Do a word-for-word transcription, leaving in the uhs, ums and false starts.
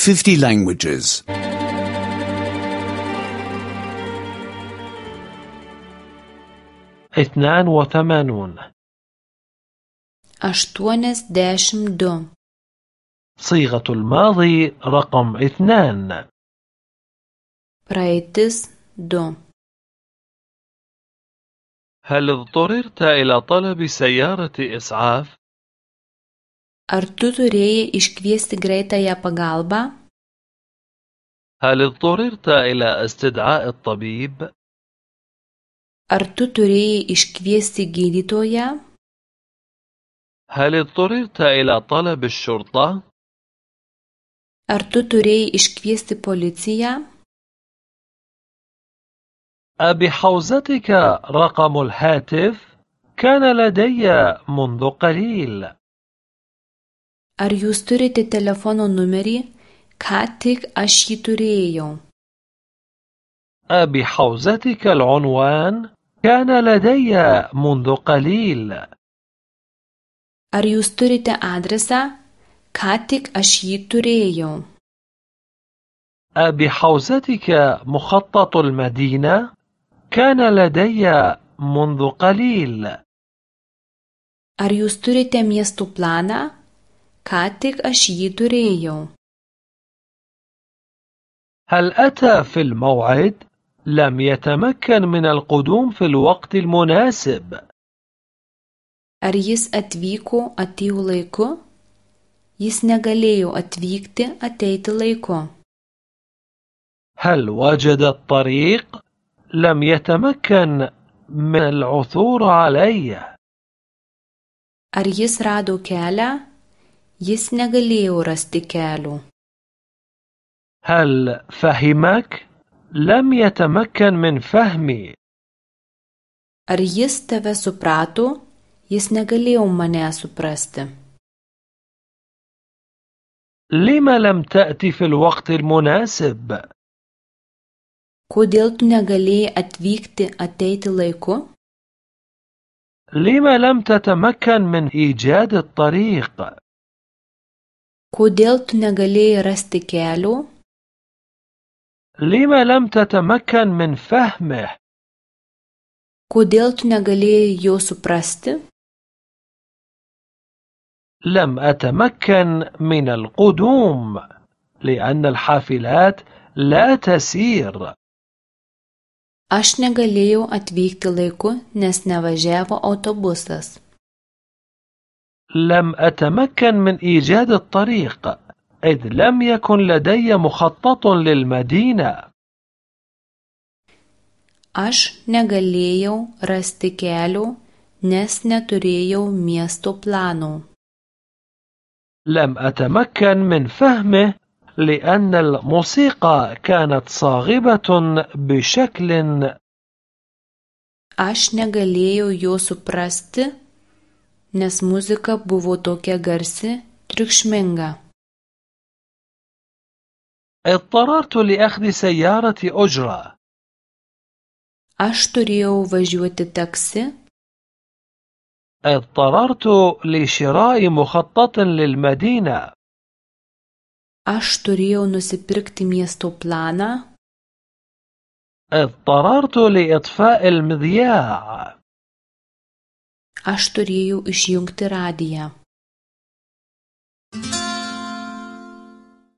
fifty languages. اثنان وثمانون. aštuoniasdešimt du. صيغة الماضي رقم اثنان. praeitis du. هل اضطررت إلى طلب سيارة إسعاف؟ Ar tu turėjai iškviesti greitąją pagalbą? هل اضطررت إلى استدعاء الطبيب؟ Ar tu turėjai iškviesti gydytoją? هل اضطررت إلى طلب الشرطة؟ Ar tu turėjai iškviesti policiją? أبحوزتك رقم الهاتف؟ كان لدي منذ قليل. Ar jūs turite telefono numerį? Ką tik aš jį turėjau. أبحوزتك العنوان؟ كان لدي منذ قليل. Ar jūs turite adresą? Ką tik aš jį turėjau. أبحوزتك مخطط المدينة؟ كان لدي منذ قليل. Ar jūs turite miestų planą? Ką tik aš jį turėjau. هل أتى في الموعد؟ لم يتمكن من القدوم في الوقت المناسب. Ar jis atvyko atėjo laiku? Jis negalėjo atvykti ateiti laiku. هل وجد الطريق؟ لم يتمكن من العثور عليه. Ar jis rado kelią? Jis negalėjo rasti kelio. هل فهمك؟ لم يتمكن من فهمي. Ar jis tave suprato? Jis negalėjo mane suprasti. لما لم تأتي في الوقت المناسب؟ Kodėl tu negalėjai atvykti ateiti laiku? لما لم تتمكن من إيجاد الطريق؟ Kodėl tu negalėjai rasti kelio? لما لم تتمكن من فهمه؟ Kodėl tu negalėjai jo suprasti? لم أتمكن من القدوم لأن الحافلات لا تسير. Aš negalėjau atvykti laiku, nes nevažiavo autobusas. لم أتمكن من إيجاد الطريق إذ لم يكن لدي مخطط للمدينة. Aš negalėjau rasti kelio, nes neturėjau miesto plano. لم أتمكن من فهمه لأن الموسيقى كانت صاخبة بشكل. Aš negalėjau jo suprasti, nes muzika buvo tokia garsi, triukšminga. اضطررت لأخذ سيارة أجرة. Aš turėjau važiuoti taksi. اضطررت لشراء مخطط للمدينة. Aš turėjau nusipirkti miesto planą. اضطررت لإطفاء المذياع. Aš turėjau išjungti radiją.